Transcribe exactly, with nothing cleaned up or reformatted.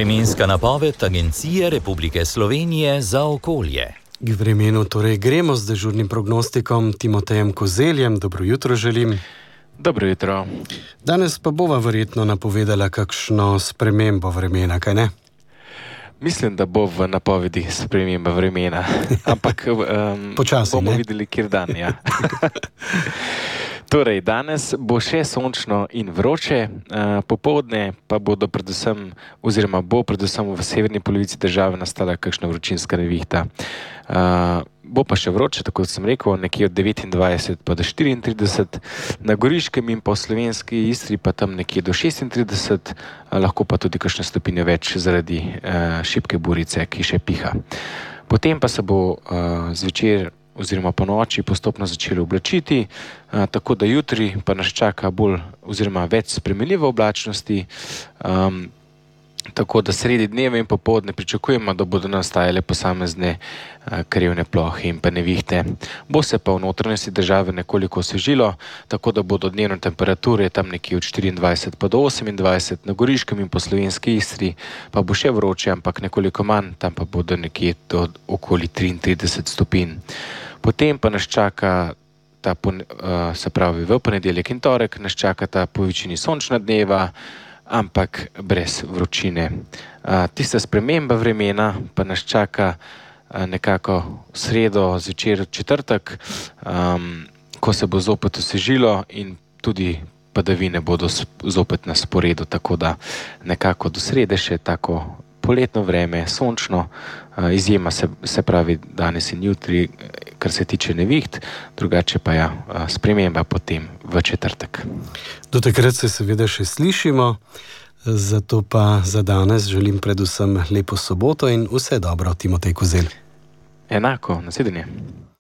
Vremenska napoved Agencije Republike Slovenije za okolje. K vremenu torej gremo z dežurnim prognostikom Timotejem Kozeljem. Dobro jutro želim. Dobro jutro. Danes pa bova verjetno napovedala kakšno spremembo vremena, kaj ne? Mislim, da bo v napovedi sprememba vremena, ampak um, Počasi, bomo ne? videli, kjer dan, ja. Torej, danes bo še sončno in vroče, uh, popoldne pa bodo predvsem, oziroma bo predvsem v severni polovici države nastala kakšna vročinska nevihta. Uh, bo pa še vroče, tako kot sem rekel, nekje od devetindvajset pa do štiriintrideset, na Goriškem in po slovenski Istri pa tam nekje do šestintrideset, uh, lahko pa tudi kakšne stopinje več zaradi uh, šibke burice, ki še piha. Potem pa se bo uh, zvečer oziroma po noči postopno začelo oblačiti, a, tako da jutri pa nas čaka bolj oziroma več spremenljive oblačnosti, um, tako da sredi dneva in popoldne pričakujemo, da bodo nastajale posamezne a, krevne plohe in pa nevihte. Bo se pa v notranjosti države nekoliko osvežilo, tako da bodo dnevne temperature tam nekje od štiriindvajset pa do osemindvajset, na Goriškem in po slovenski Istri pa bo še vroče, ampak nekoliko manj, tam pa bodo nekje do okoli triintrideset stopinj. Potem pa nas čaka, ta, se pravi v ponedeljek in torek, nas čaka ta po večini sončna dneva, ampak brez vročine. Tista sprememba vremena pa nas čaka nekako v sredo, zvečer četrtek, ko se bo zopet osvežilo in tudi padavine bodo zopet na sporedu, tako da nekako do srede še tako poletno vreme, sončno, izjema se, se pravi danes in jutri, kar se tiče neviht, drugače pa ja, sprememba potem v četrtek. Do takrat se seveda še slišimo, zato pa za danes želim predvsem lepo soboto in vse dobro, Timotej Kozelj. Enako, nasvidenje.